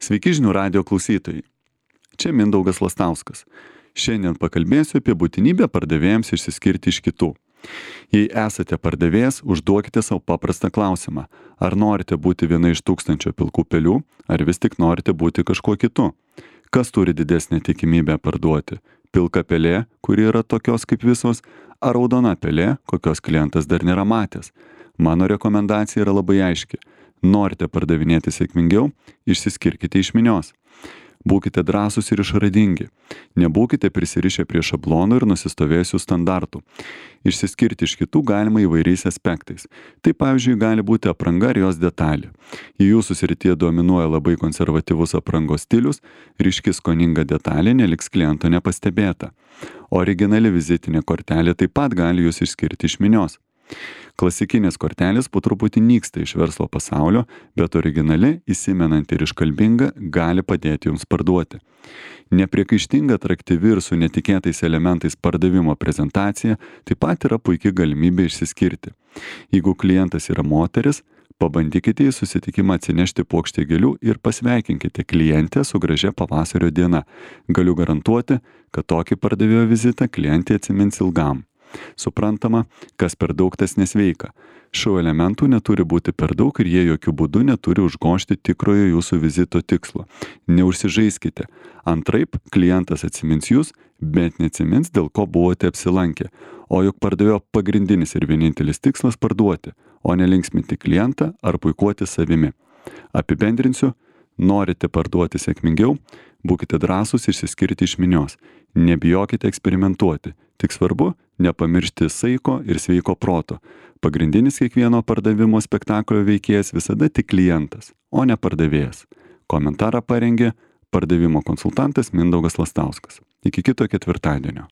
Sveiki žinių radijo klausytojai. Čia Mindaugas Lastauskas. Šiandien pakalbėsiu apie būtinybę pardavėjams išsiskirti iš kitų. Jei esate pardavėjas, užduokite savo paprastą klausimą. Ar norite būti viena iš 1000 pilkų pelių, ar vis tik norite būti kažkuo kitu? Kas turi didesnę tikimybę parduoti? Pilka pelė, kuri yra tokios kaip visos, ar raudona pelė, kokios klientas dar nėra matęs? Mano rekomendacija yra labai aiški. Norite pardavinėti sėkmingiau, išsiskirkite iš minios. Būkite drąsūs ir išradingi. Nebūkite prisirišę prie šablonų ir nusistovėjusių standartų. Išsiskirti iš kitų galima įvairiais aspektais. Tai pavyzdžiui gali būti apranga ir jos detalė. Jei jūsų srityje dominuoja labai konservatyvus aprangos stilius, ryški skoninga detalė neliks kliento nepastebėta. Originali vizitinė kortelė taip pat gali jūs išskirti iš minios. Klasikinės kortelės po truputį nyksta iš verslo pasaulio, bet originali, įsimenanti ir iškalbinga gali padėti jums parduoti. Nepriekaištinga, atraktyvi ir su netikėtais elementais pardavimo prezentacija taip pat yra puikia galimybė išsiskirti. Jeigu klientas yra moteris, pabandykite į susitikimą atsinešti puokštę gėlių ir pasveikinkite klientę su gražia pavasario diena. Galiu garantuoti, kad tokį pardavėjo vizitą klientė atsimins ilgam. Suprantama, kas per daug tas nesveika. Šių elementų neturi būti per daug ir jie jokių būdų neturi užgožti tikrojo jūsų vizito tikslo. Neužsižaiskite. Antraip, klientas atsimins jūs, bet neatsimins, dėl ko buvote apsilankę. O juk pardavėjo pagrindinis ir vienintelis tikslas parduoti, o ne linksminti klientą ar puikuoti savimi. Apibendrinsiu, norite parduoti sėkmingiau, būkite drąsūs išsiskirti iš minios. Nebijokite eksperimentuoti. Tik svarbu nepamiršti saiko ir sveiko proto. Pagrindinis kiekvieno pardavimo spektaklio veikėjas visada tik klientas, o ne pardavėjas. Komentarą parengė pardavimo konsultantas Mindaugas Lastauskas. Iki kito ketvirtadienio.